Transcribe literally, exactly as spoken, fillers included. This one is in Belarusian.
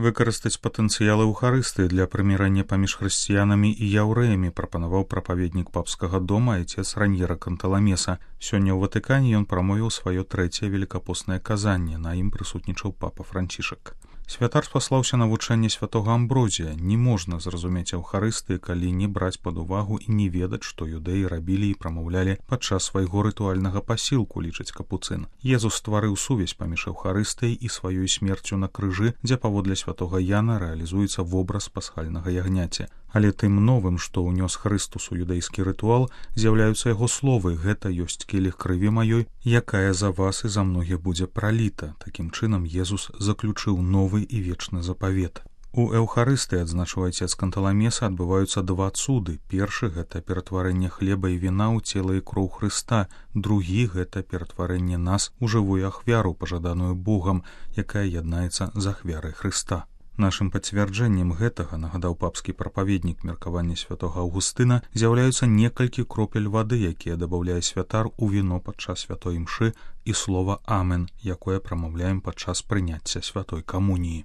Выкарыстаць патэнцыял эўхарыстыі для прымірання паміж хрысціянамі і яўрэямі прапанаваў прапаведнік папскага дома айцец Раньера Канталамеса. Сёння ў Ватыкане ён прамовіў сваё трэцяе велікапоснае казанне, на ім прысутнічаў папа Францішак. Святар спаслаўся на вучэнне святога Амброзія. Не можна зразумець эўхарыстыі, калі не браць пад увагу і не ведаць, што юдэі рабілі і прамаўлялі падчас свайго рытуальнага пасілку, лічыць капуцын. Езус стварыў сувязь паміж эўхарыстыяй і сваёй смерцю на крыжы, дзе паводле святога Яна рэалізуецца вобраз пасхальнага ягняці. Але тым новым, што ўнёс Хрыстус у юдэйскі рытуал, з'яўляюцца яго словы: «Гэта ёсць келіх крыві маёй, якая за вас і за многіх будзе праліта». Такім чынам Езус заключыў новы і вечны запавет. У эўхарыстыі, адзначыў айцец Канталамеса, адбываюцца два цуды. Першы — гэта ператварэнне хлеба і віна ў цела і кроў Хрыста. Другі — гэта ператварэнне нас у жывую ахвяру, пажаданую Богам, якая яднаецца з ахвярай Хрыста. Нашым пацвярджэннем гэтага, нагадаў папскі прапаведнік меркавання святога Аўгустына, з'яўляюцца некалькі кропель вады, якія дабаўляе святар у віно падчас святой імшы, і слова «Амен», якое прамаўляем падчас прыняцця святой камуніі.